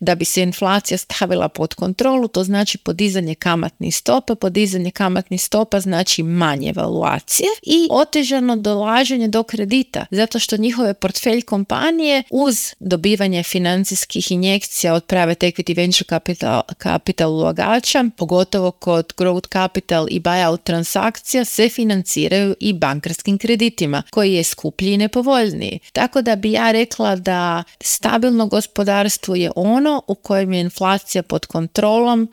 da bi se inflacija stavila pod kontrolu, to znači podizanje kamatnih stopa. Podizanje kamatnih stopa znači manje valuacije i otežano dolaženje do kredita, zato što njihove portfelj kompanije uz dobivanje financijskih injekcija od private equity, venture capital ulagača, pogotovo kod growth capital i buyout transakcija, se financiraju i bankarskim kreditima, koji je skuplji i nepovoljniji. Tako da bi ja rekla da stabilno gospodarstvo je ono u kojem je inflacija pod kontrolom